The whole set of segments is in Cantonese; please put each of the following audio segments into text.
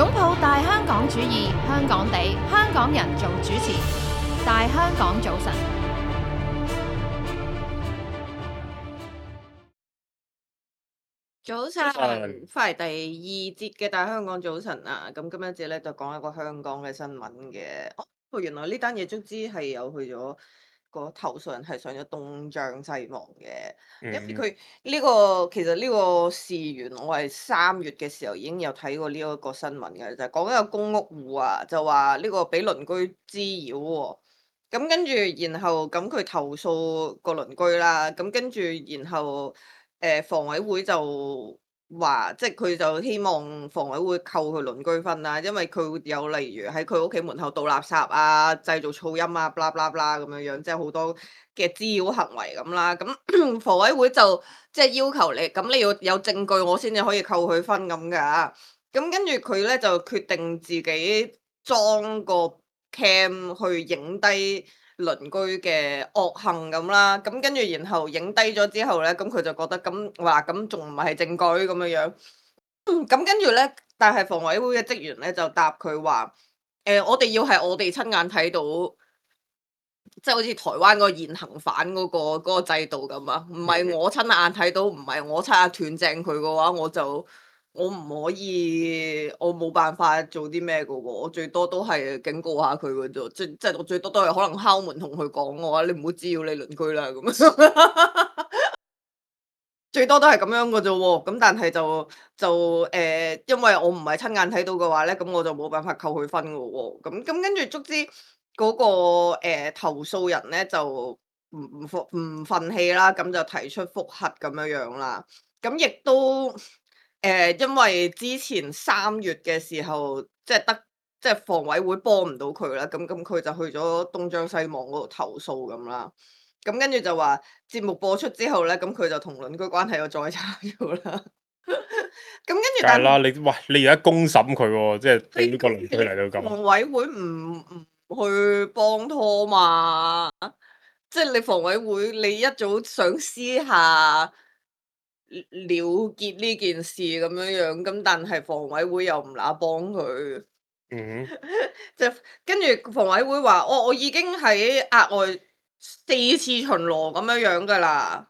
擁抱大香港主義，香港地，香港人做主持。大香港早晨，早早晨，晨，翻嚟第二節嘅大香港早晨啊！咁今一節咧就講一個香港嘅新聞嘅。哦，原來呢單嘢卒之係有去咗個投訴人係上咗東張西望嘅，因為嗯，佢其實呢個事源我係3月嘅時候已經有睇過呢一個新聞嘅，就係講一個公屋戶啊，就話呢個俾鄰居滋擾喎。咁跟住，然後咁佢投訴個鄰居啦，咁跟住然後房委會就話，即係佢就希望房委會扣佢鄰居分啦，因為佢會有例如喺佢屋企門口倒垃圾啊、製造噪音啊、bla bla bla 咁樣樣，即係好多嘅滋擾行為咁啦。咁房委會就即係要求你，咁你要有證據我先至可以扣佢分咁㗎。咁跟住佢咧就決定自己裝個 cam 去影低鄰居嘅惡行咁啦，咁跟住然後影低咗之後咧，咁佢就覺得咁話咁仲唔係證據咁樣樣，咁跟住咧，但係房委會嘅職員咧就答佢話，我哋要係我哋親眼睇到，即係好似台灣嗰個現行犯嗰個制度咁啊，唔係我親眼睇到，唔係我親眼斷正佢嘅話，我唔可以，我冇辦法做啲咩嘅喎，我最多都係警告下佢嘅啫，即係我最多都係可能敲門同佢講嘅話，你唔好滋擾你鄰居啦咁樣，最多都係咁樣嘅啫喎。咁但係因為我唔係親眼睇到嘅話咧，咁我就冇辦法扣佢分嘅喎。咁跟住卒之嗰個投訴人咧就唔憤氣啦，咁就提出覆核咁樣樣啦。咁亦都因為之前3月嘅時候，即係房委會幫唔到佢啦，咁佢就去咗東張西望嗰度投訴咁啦。咁跟住就話節目播出之後咧，咁佢就同鄰居關係又再差咗啦。咁跟住但係梗係啦，你而家公審佢喎，即係對呢個鄰居嚟到咁，房委會唔去幫拖嘛？即係你房委會，你一早想私下了結呢件事咁樣樣，咁但係房委會又唔乸幫佢，嗯就跟住房委會話：我已經喺額外4次巡邏咁樣樣㗎啦。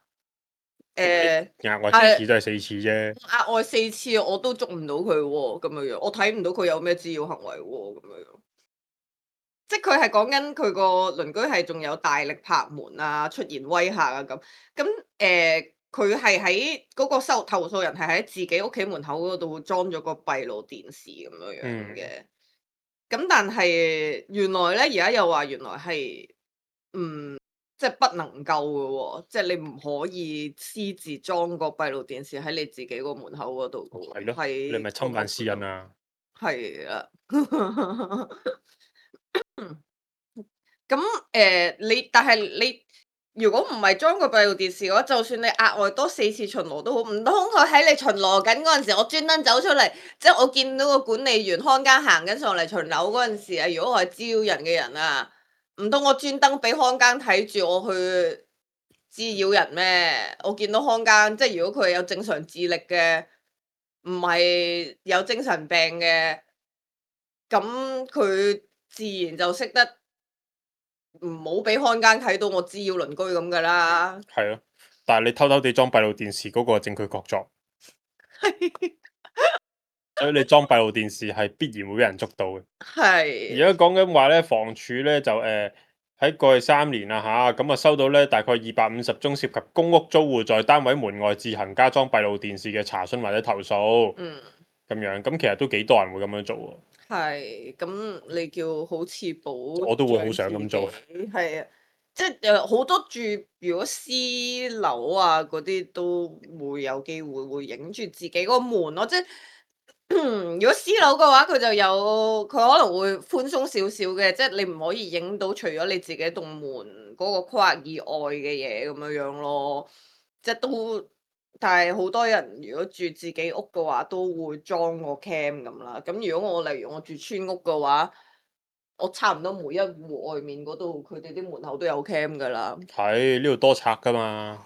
哼，咁誒你額外四係次都係4次啫，額外4次我都捉唔到佢喎，咁樣樣，我睇唔到佢有咩滋擾行為喎，咁樣樣。即係佢係講緊佢個鄰居係仲有大力拍門啊，出言威嚇啊咁。咁佢係喺嗰個投訴人係喺自己屋企門口嗰度裝咗個閉路電視咁樣樣嗯，嘅。咁但係原來咧，而家又話原來係即係不能夠嘅喎，即係你唔可以私自裝個閉路電視喺你自己個門口嗰度嘅喎，係咯，你係喺個咪侵犯私屋嗰度。隱啊？係啦。咁但係你如果唔係裝個閉路電視嘅話，就算你額外多4次巡邏都好，唔通佢喺你巡邏緊嗰陣時，我專登走出嚟，即係我見到個管理員看更行緊上嚟巡樓嗰陣時啊，如果我係滋擾人嘅人啊，唔通我專登俾看更睇住我去滋擾人咩？我見到看更，即係如果佢係有正常智力嘅，唔係有精神病嘅，咁佢自然就識得唔好俾看更睇到我滋擾鄰居咁噶啦。係咯，但係你偷偷地裝閉路電視嗰個係證據確鑿，所以你裝閉路電視係必然會俾人捉到嘅。而係，家講緊話咧，房署咧就喺過去3年啊咁啊收到咧大概250宗涉及公屋租戶在單位門外自行加裝閉路電視嘅查詢或者投訴，嗯，咁樣咁其實都幾多人會咁樣做喎，係，咁你叫好似保我都會好障自己，想咁做。係啊，即係好多住如果私樓啊嗰啲都會有機會會影住自己個門咯，即係如果私樓嘅話，佢可能會寬鬆少少嘅，即係你唔可以影到除咗你自己棟門嗰個框以外嘅嘢咁樣樣咯。即係都，但係好多人如果住自己屋嘅話，都會裝個 cam 咁啦。咁如果例如我住村屋嘅話，我差唔多每一戶外面嗰度，佢哋啲門口都有 cam 噶啦。係呢度多賊噶嘛，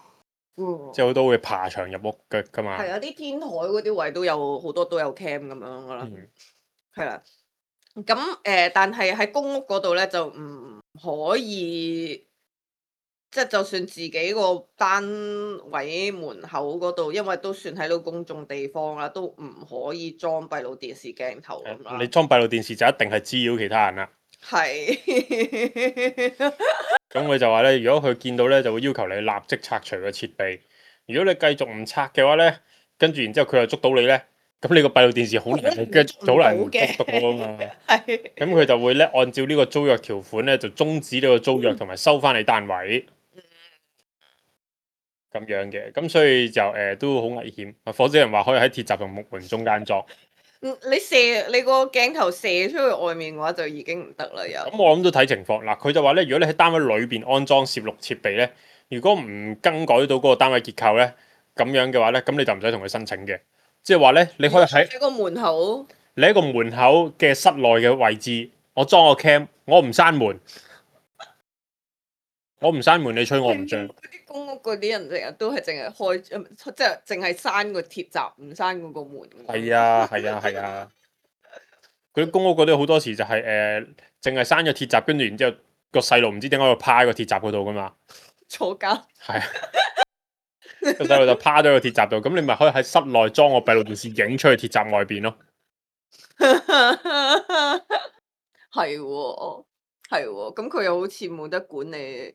即係嗯，好多會爬牆入屋嘅噶嘛。係啊，啲天台嗰啲位都有好多都有 cam 咁樣噶啦。嗯，係啦。咁但係喺公屋嗰度咧就唔可以，即係就算自己個單位門口嗰度，因為都算喺到公眾地方啦，都唔可以裝閉路電視鏡頭咁你啦。裝閉路電視就一定係滋擾其他人啦。係。咁佢就話咧，如果佢見到咧，就會要求你立即拆除個設備。如果你繼續唔拆嘅話咧，跟住然之後佢又捉到你咧，咁你個閉路電視好難好難捉到啊嘛。係。咁佢就會咧按照呢個租約條款咧，就終止呢個租約同埋收翻你單位。咁樣嘅，咁所以就都好危險。火星人話可以喺鐵閘同木門中間裝。你個鏡頭射出去外面嘅話就已經唔得啦，又。咁我諗都睇情況嗱，佢就話咧，如果你喺單位裏邊安裝攝錄設備咧，如果唔更改到嗰個單位結構咧，咁樣嘅話咧，咁你就唔使同佢申請嘅。即係話咧，你可以喺個門口，你喺個門口嘅室內嘅位置，我裝個 cam，我唔閂門，我唔閂門，你吹我唔脹。嗰啲公屋嗰啲人成日都係淨係開，即係淨係閂個鐵閘，唔閂嗰個門。係啊係啊係啊！嗰啲公屋嗰啲好多時就係淨係閂咗鐵閘，跟住然之後個細路唔知點解會趴喺個鐵閘嗰度噶嘛。坐監。係啊，個細路就趴咗個鐵閘度，咁你咪可以喺室內裝個閉路電視影出去鐵閘外邊咯。係喎，係喎，咁佢又好似冇得管你，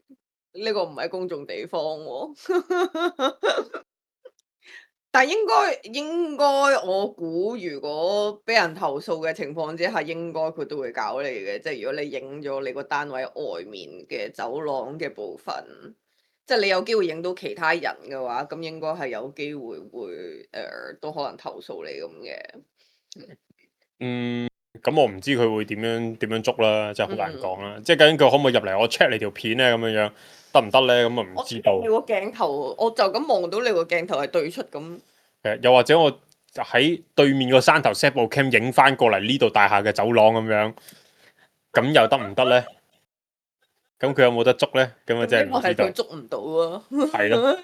呢個唔係公眾地方喎。但應該，我估如果俾人投訴嘅情況之下，應該佢都會搞你嘅。即係如果你影咗你個單位外面嘅走廊嘅部分，即係你有機會影到其他人嘅話，咁應該係有機會會都可能投訴你咁嘅。咁我唔知佢會點樣捉啦，真係好難講啦。即係究竟佢可唔可以入嚟我 check 你條片咧，咁樣得唔得咧？咁啊唔知道。你個鏡頭，我就咁望到你個鏡頭係對出咁。又或者我喺對面個山頭 set 部 cam 影翻過嚟呢度大廈嘅走廊咁樣，咁又得唔得咧？咁佢有冇得捉咧？咁啊真係唔知道。佢捉唔到啊。係咯。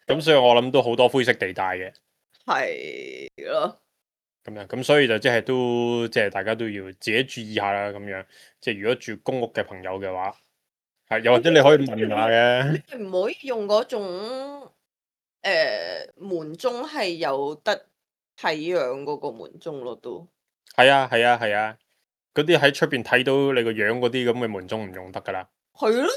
咁所以我諗都好多灰色地帶嘅。係咯。咁樣，咁所以就即係都即係大家都要自己注意下啦。咁樣，即係如果住公屋嘅朋友嘅話，係又或者你可以問下嘅。你唔可以用嗰種門鐘係有得睇樣嗰個門鐘咯，都係啊係啊係啊，嗰啲喺出邊睇到你個樣嗰啲咁嘅門鐘唔用得噶啦。係咯。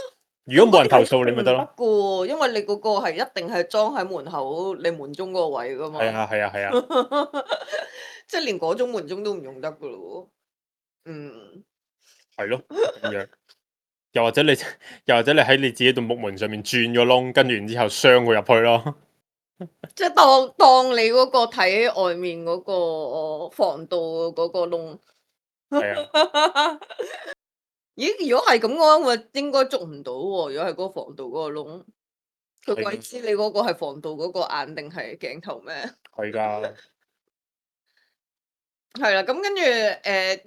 如果冇人投訴你咪得咯。唔得噶，因為你嗰個係一定係裝喺門口你門鐘嗰個位噶嘛。係啊係啊係啊。即係連嗰種門鐘都唔用得噶咯。係咯，咁樣。又或者你喺你自己度木門上面轉個窿，跟住然之後鑲佢入去咯。即係當你嗰個睇外面嗰個防盜嗰個窿。係啊。咦？如果係咁嘅話，我應該捉唔到喎。如果係嗰個防盜嗰個窿，佢鬼知你嗰個係防盜嗰個眼定係鏡頭咩？係㗎。係啦，咁跟住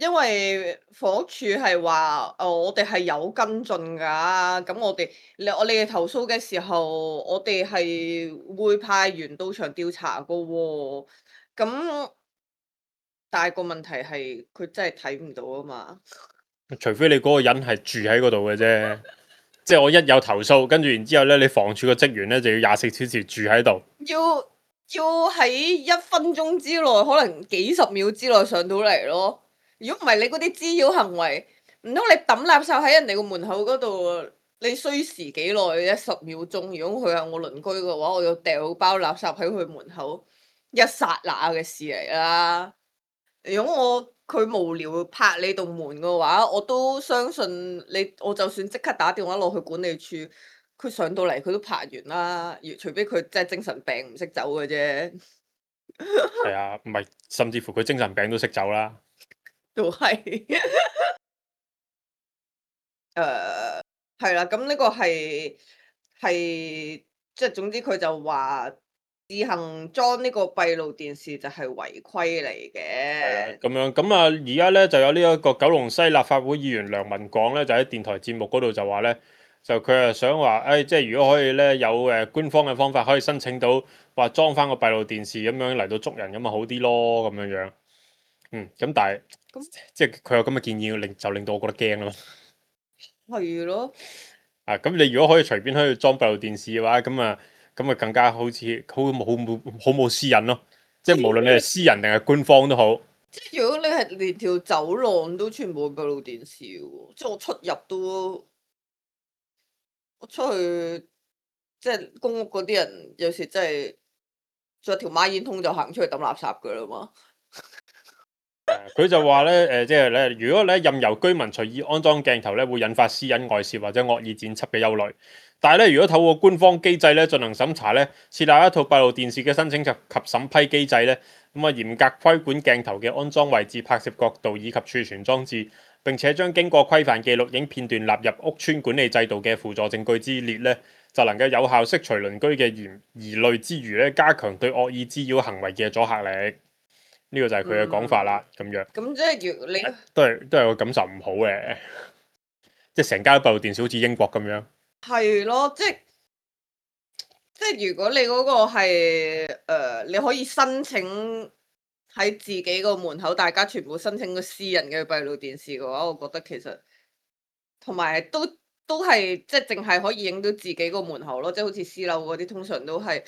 因為房屋署係話，我哋係有跟進㗎。咁我哋投訴嘅時候，我哋係會派員到場調查㗎喎。咁但係個問題係佢真係睇唔到啊嘛。除非你嗰個人係住喺嗰度嘅啫，即係我一有投訴，跟住然之後咧，你房署個職員咧就要24小時住喺度。要喺1分鐘之內，可能幾十秒之內上到嚟咯。如果唔係你嗰啲滋擾行為，唔通你抌垃圾喺人哋個門口嗰度，你需時幾耐啫？10秒鐘。如果佢係我鄰居嘅話，我要掉包垃圾喺佢門口，一剎那嘅事嚟啦。如果佢無聊拍你棟門嘅話，我都相信你。我就算即刻打電話落去管理處。佢上到嚟佢都拍完啦，除非佢真係精神病唔識走嘅啫。係啊，唔係，甚至乎佢精神病都識走啦。都係。係啦，咁呢個係即係總之佢就話自行裝呢個閉路電視就係違規嚟嘅。咁樣咁啊，而家咧就有呢一個九龍西立法會議員梁文廣咧，就喺電台節目嗰度就話咧。就佢係想話，即係如果可以咧，有官方嘅方法可以申請到，話裝翻個閉路電視咁樣嚟到捉人咁咪好啲咯，咁樣樣。咁但係咁即係佢有咁嘅建議，就令到我覺得驚咯。係咯，咁你如果可以隨便可以裝閉路電視嘅話，咁啊更加好似好冇私隱咯。即係無論你係私人定係官方都好。即係如果你係連條走廊都全部閉路電視嘅喎，即係我出入都，我出去即係公屋嗰啲人有時真係着條孖煙通就行出去抌垃圾噶啦嘛。佢就話咧，即係咧，如果咧任由居民隨意安裝鏡頭咧，會引發私隱外泄或者惡意剪輯嘅憂慮。但係咧，如果透過官方機制咧進行審查咧，設立一套閉路電視嘅申請及審批機制咧，咁啊嚴格規管鏡頭嘅安裝位置、拍攝角度以及儲存裝置，並且將經過規範嘅錄影片段納入屋邨管理制度嘅輔助證據之列咧，就能夠有效釋除鄰居嘅疑慮之餘咧，加強對惡意滋擾行為嘅阻嚇力。呢個就係佢嘅講法啦，咁樣咁即係如你都係個感受唔好嘅，即係成家都閉路電視好似英國咁樣。係咯，即係如果你嗰個係你可以申請喺自己個門口，大家全部申請個私人嘅閉路電視嘅話，我覺得其實同埋都係即係淨係可以影到自己個門口咯，即係好似私樓嗰啲，通常都係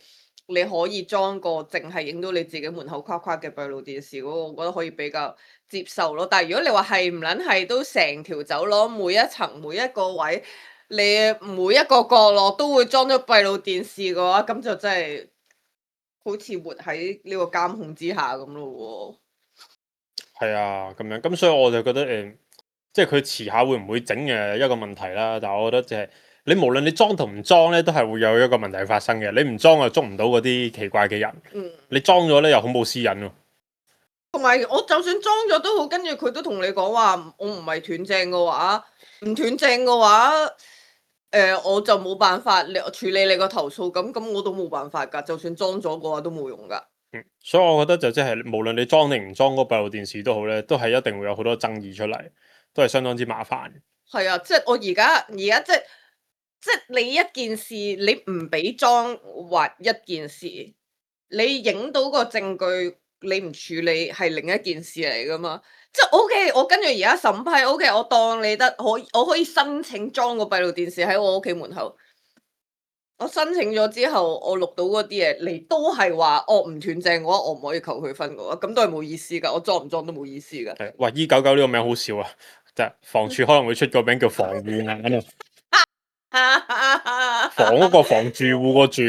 你可以裝個淨係影到你自己門口框框嘅閉路電視嗰個，我覺得可以比較接受咯。但係如果你話係唔撚係都成條走廊每一層每一個位，你每一個角落都會裝咗閉路電視嘅話，咁就真係好似活喺呢個監控之下咁咯喎。係啊，咁樣咁所以我就覺得即係佢遲下會唔會整嘅一個問題啦。但係我覺得就係你無論你裝同唔裝咧，都係會有一個問題發生嘅。你唔裝就捉唔到嗰啲奇怪嘅人，你裝咗咧又好冇私隱喎。同埋我就算裝咗都好，跟住佢都同你講話，我唔係斷正嘅話，唔斷正嘅話，我就冇辦法處理你個投訴，咁我都冇辦法㗎。就算裝咗嘅話都冇用㗎。所以我覺得就即係無論你裝定唔裝嗰個閉路電視都好咧，都係一定會有好多爭議出嚟，都係相當之麻煩。係啊，即係我而家即係你一件事，你唔俾裝或一件事，你影到個證據，你唔處理係另一件事嚟噶嘛？即係 OK，我跟住而家審批 OK，我當你得我可以申請裝個閉路電視喺我屋企門口。我申請咗之後，我錄到嗰啲嘢，你都係話我唔斷正嘅話，我唔可以求佢分嘅話，咁都係冇意思㗎。我裝唔裝都冇意思㗎。係，哇！E99呢個名好笑啊，就係房署可能會出個名叫防護眼啊，房嗰個防住戶個住。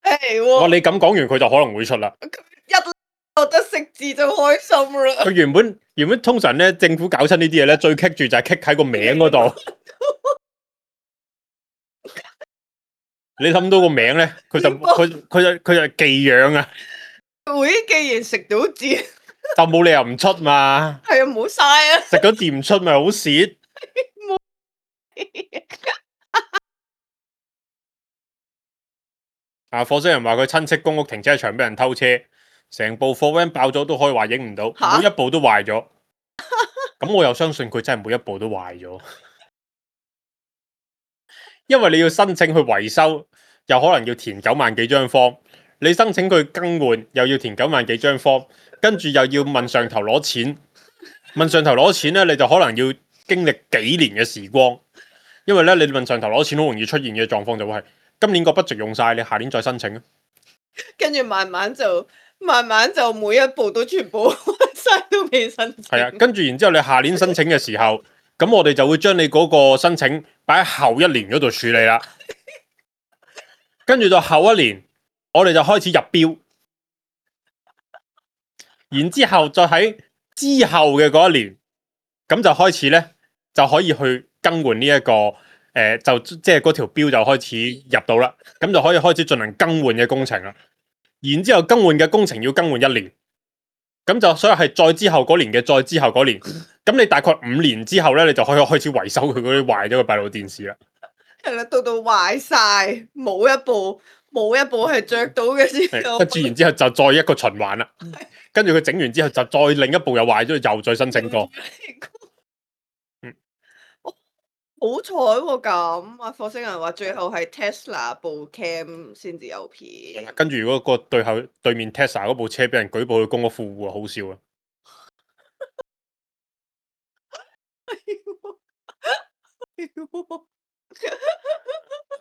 係哇！喎，你咁講完佢就可能會出啦。一覺得識字就開心啦。佢原本通常咧，政府搞親呢啲嘢咧，最棘住就係棘喺個名嗰度。你諗到個名咧，佢就寄養啊，會既然食到字，就冇理由唔出嘛。係啊，唔好嘥啊！食咗字唔出咪好蝕。啊！火星人話佢親戚公屋停車場俾人偷車，成部貨 van 爆咗都可以話影唔到，吓每一部都壞咗。咁我又相信佢真係每一部都壞咗，因為你要申請去維修，又可能要填9萬幾張 form，你申請佢更換又要填9萬幾張 form，跟住又要問上頭攞錢，問上頭攞錢咧，你就可能要經歷幾年嘅時光，因為咧你問上頭攞錢好容易出現嘅狀況就會係今年個 budget 用晒，你下年再申請啊。跟住慢慢就每一步都全部晒都未申請。係啊，跟住然之後你下年申請嘅時候，咁我哋就會將你嗰個申請擺喺後一年嗰度處理啦。跟住到後一年，我哋就開始入標，然之後再喺之後嘅嗰一年，咁就開始咧就可以去更換呢一個就即係嗰條標就開始入到啦，咁就可以開始進行更換嘅工程啦。然之後更換嘅工程要更換1年。咁就所以係再之後嗰年嘅再之後嗰年，咁你大概5年之後咧，你就可以開始維修佢嗰啲壞咗嘅閉路電視啦。係啦，到壞晒，冇一部係着到嘅時候，跟住然之後就再一個循環啦。跟住佢整完之後就再另一部又壞咗，又再申請過。好彩喎咁，啊火星人話最後係 Tesla 部 cam 先至有片。跟住如果個對面 Tesla 嗰部車俾人舉報去公屋富戶啊，好笑啊！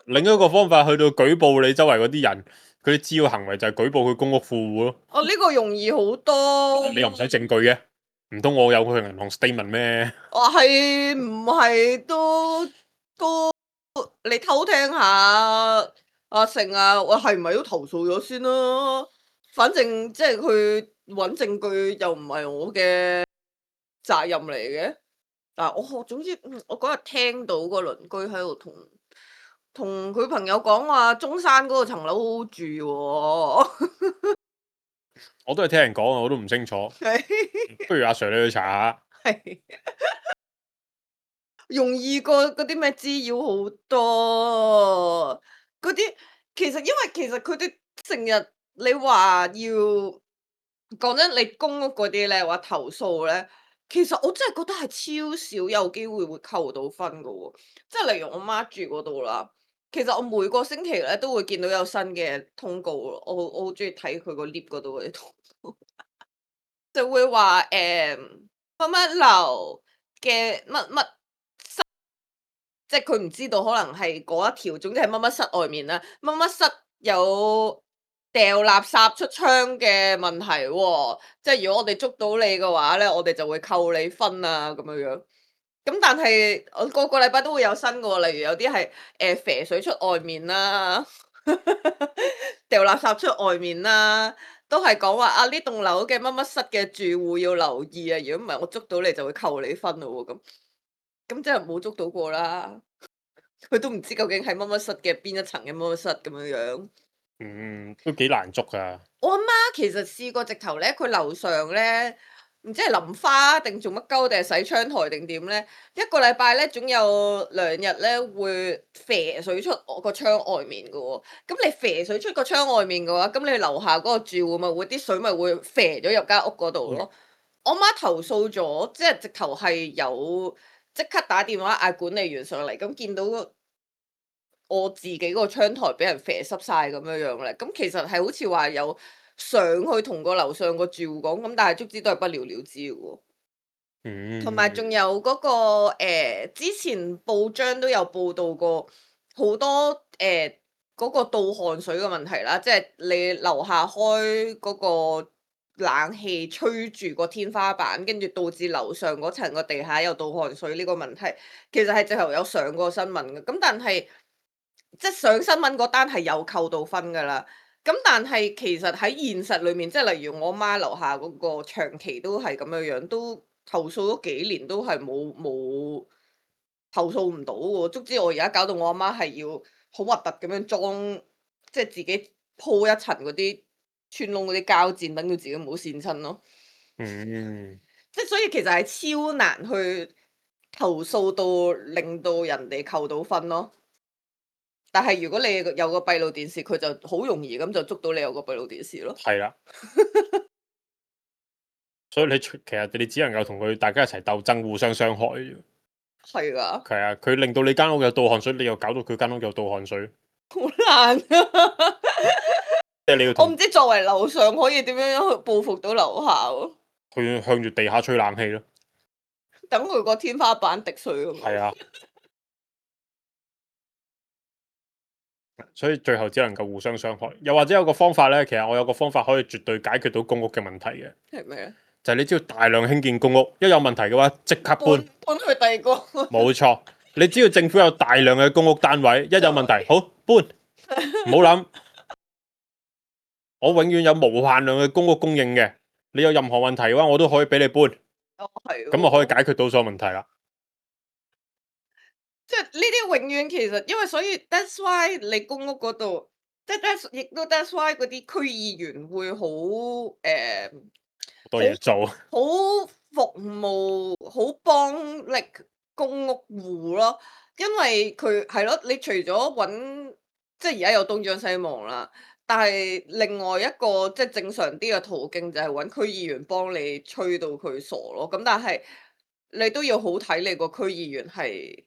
另一個方法去到舉報你周圍嗰啲人，佢啲滋擾行為就係舉報佢公屋富戶咯。哦，呢個容易好多。你又唔使證據嘅，唔通我有佢銀行 statement 咩？我係唔係都你偷聽下阿成啊？我係唔係都投訴咗先啦？反正即係佢揾證據又唔係我嘅責任嚟嘅。但係我總之，我嗰日聽到個鄰居喺度同佢朋友講話，中山嗰個層樓好好住喎。我都係聽人講啊，我都唔清楚。不如阿 Sir 你去查下。係容易過嗰啲咩滋擾好多，嗰啲因為佢哋成日你話要講真，你公屋嗰啲咧話投訴咧，其實我真係覺得係超少有機會會扣到分噶喎，即係例如我媽住嗰度啦，其實我每個星期咧都會見到有新嘅通告咯，我好中意睇佢個 lift 嗰度嗰啲通告，就會話乜乜樓嘅乜乜。即係佢唔知道，可能係嗰一條，總之係乜乜室外面啦，乜乜室有掉垃圾出窗嘅問題喎。即係如果我哋捉到你嘅話咧，我哋就會扣你分啊咁樣樣。咁但係我個個禮拜都會有新嘅喎，例如有啲係啡水出外面啦，掉垃圾出外面啦，都係講話啊呢棟樓嘅乜乜室嘅住戶要留意啊，如果唔係我捉到你就會扣你分咯喎咁。咁即係冇捉到過啦，佢都唔知究竟係乜乜室嘅邊一層嘅乜乜室咁樣樣。都幾難捉噶。我阿媽其實試過直頭咧，佢樓上咧唔知係淋花定做乜鳩定係洗窗台定點咧，一個禮拜咧總有2日咧會啡水出我個窗外面嘅喎。咁你啡水出個窗外面嘅話，咁你樓下嗰個住戶咪會啲水咪會啡咗入間屋嗰度咯。我媽投訴咗，即係直頭係有。即刻打電話嗌管理員上嚟，咁見到我自己個窗台俾人啡濕晒咁樣樣咧，咁其實係好似話有上去同個樓上個住戶講，咁但係足之都係不了了之嘅喎。同埋仲有嗰個之前報章都有報道過好多嗰個倒汗水嘅問題啦，即係你樓下開嗰個冷氣吹住個天花板，跟住導致樓上嗰層個地下有倒汗水呢個問題，其實係直頭有上過新聞嘅。咁但係即係上新聞嗰單係有扣到分㗎啦。咁但係其實喺現實裏面，即係例如我媽樓下嗰個長期都係咁樣樣，都投訴咗幾年都係冇投訴唔到喎。足之我而家搞到我阿媽係要好核突咁樣裝，即係自己鋪一層嗰啲穿窿嗰啲膠墊，等到自己唔好跣親咯。即係所以其實係超難去投訴到令到人哋扣到分咯。但係如果你有個閉路電視，佢就好容易咁就捉到你有個閉路電視咯。係啦，所以你其實你只能夠同佢大家一齊鬥爭，互相傷害啫。係㗎。係啊，佢令到你間屋有倒汗水，你又搞到佢間屋有倒汗水，好難啊！即係你要我唔知作為樓上可以點樣去報復到樓下喎。去向住地下吹冷氣咯。等佢個天花板滴水咁。係啊。所以最後只能夠互相傷害，又或者有個方法咧，其實我有個方法可以絕對解決到公屋嘅問題嘅。係咩咧？就係你只要大量興建公屋，一有問題嘅話即刻搬去第二個。冇錯，你只要政府有大量嘅公屋單位，一有問題好搬，唔好諗。我永遠有無限量嘅公屋供應嘅，你有任何問題嘅話，我都可以俾你搬。哦，係。咁就可以解決到所有問題啦。即係呢啲永遠其實，因為所以 that's why 你公屋嗰度，即係亦都 that's why 嗰啲區議員會好多嘢做，好服務，好幫力公屋戶咯。因為佢係咯，你除咗揾，即係而家有東張西望啦，但係另外一個即係正常啲嘅途徑就係揾區議員幫你吹到佢傻咯。咁但係你都要好睇你個區議員係。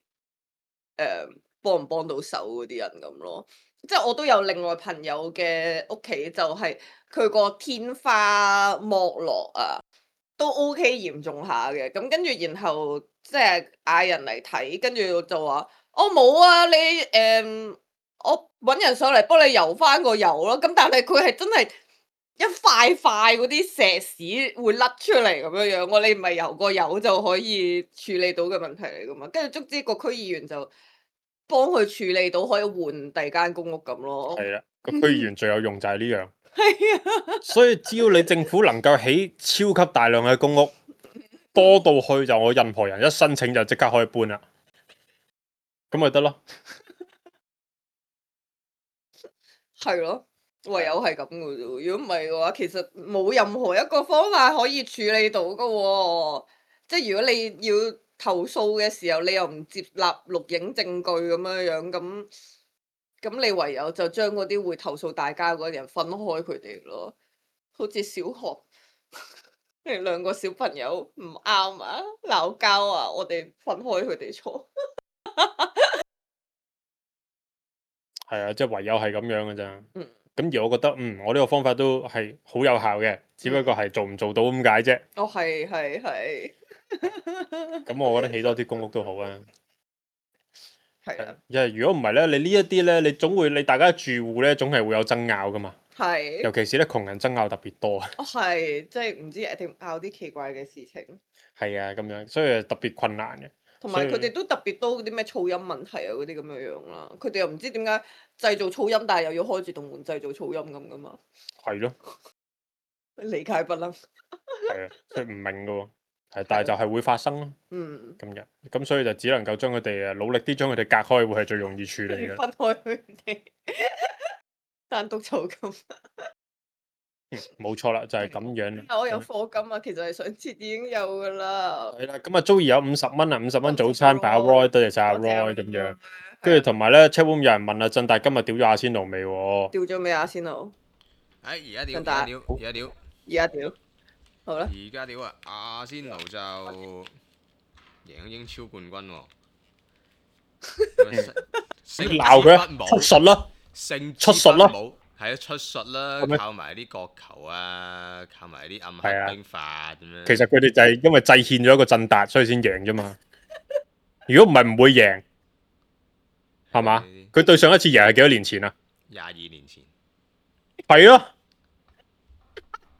幫唔幫到手嗰啲人咁咯，即係我都有另外朋友嘅屋企就係佢個天花剝落啊，都 OK 嚴重下嘅，咁跟住然後即係嗌人嚟睇，跟住就話我冇啊，你我揾人上嚟幫你游翻個油咯。咁但係佢係真係一塊塊嗰啲石屎會甩出嚟咁樣樣，你唔係游個油就可以處理到嘅問題嚟噶嘛？跟住卒之個區議員就幫佢處理到，可以換第二間公屋咁咯。係啦，個區議員最有用就係呢樣。係啊，所以只要你政府能夠起超級大量嘅公屋，多到去就我任何人一申請就即刻可以搬啦，咁咪得咯。係咯，唯有係咁嘅啫。如果唔係嘅話，其實冇任何一個方法可以處理到嘅喎。即係如果你要投訴嘅時候，你又唔接納錄影證據咁樣樣，咁你唯有就將嗰啲會投訴大家嗰啲人分開佢哋咯。好似小學，你兩個小朋友唔啱啊，鬧交啊，我哋分開佢哋坐。係啊，即係唯有係咁樣嘅咋。嗯。咁而我覺得，我呢個方法都係好有效嘅，只不過係做唔做到咁解啫。哦，係。咁我覺得起多啲公屋都好啊。係啊，因為如果唔係咧，你呢一啲咧，你總會你大家住戶咧，總係會有爭拗噶嘛。係。尤其是咧，窮人爭拗特別多。哦，係，即係唔知一定拗啲奇怪嘅事情，係啊，咁樣，所以特別困難嘅。同埋所以佢哋都特別多嗰啲咩噪音問題啊，嗰啲咁樣樣啦。佢哋又唔知點解製造噪音，但係又要開住棟門製造噪音咁噶嘛？係咯，理解不能。係啊，所以唔明噶喎。係，但係就係會發生咯。嗯，咁樣，咁所以就只能夠將佢哋努力啲將佢哋隔開，會係最容易處理嘅。分開佢哋，單獨嘈咁。冇錯啦，就係咁樣。我有課金啊，其實係上次已經有噶啦。係啦，咁啊，Joey有50蚊啊，50蚊早餐俾阿 Roy，多謝晒阿 Roy 咁樣。跟住同埋咧 ，chatroom 有人問啊，振達今日屌咗阿仙奴未喎？掉咗未啊？先佬，而家屌，振達而家屌，而家屌，好啦。而家屌啊！阿仙奴就贏英超冠軍喎。鬧佢出術啦，勝出術啦，係啊，出術啦，咁樣靠埋啲國球啊，靠埋啲暗黑兵法咁樣。其實佢哋就係因為制憲咗一個振達，所以先贏啫嘛。如果唔係唔會贏，係嘛？佢對上一次贏係幾多年前啊？22年前。係咯，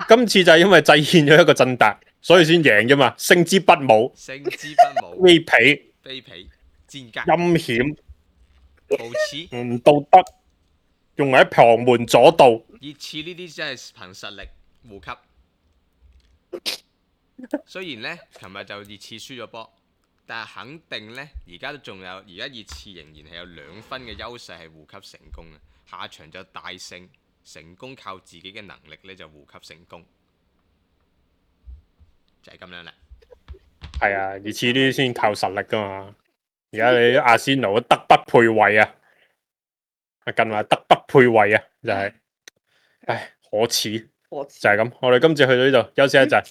今次就係因為制憲咗一個振達，所以先贏啫嘛。勝之不武，勝之不武，卑鄙，卑鄙，賤格，陰險，無恥，唔道德，用埋喺旁門左道。熱刺呢啲真係憑實力護級。雖然呢，琴日就熱刺輸咗波，但係肯定呢，而家都仲有，而家熱刺仍然係有2分嘅優勢係護級成功嘅。下場就大勝，成功靠自己嘅能力呢就護級成功，就係咁樣啦。係啊，熱刺呢啲先靠實力噶嘛。而家你阿仙奴德不配位啊！近話德不配位啊，就係、唉可恥，就係咁。我哋今次去到呢度休息一陣。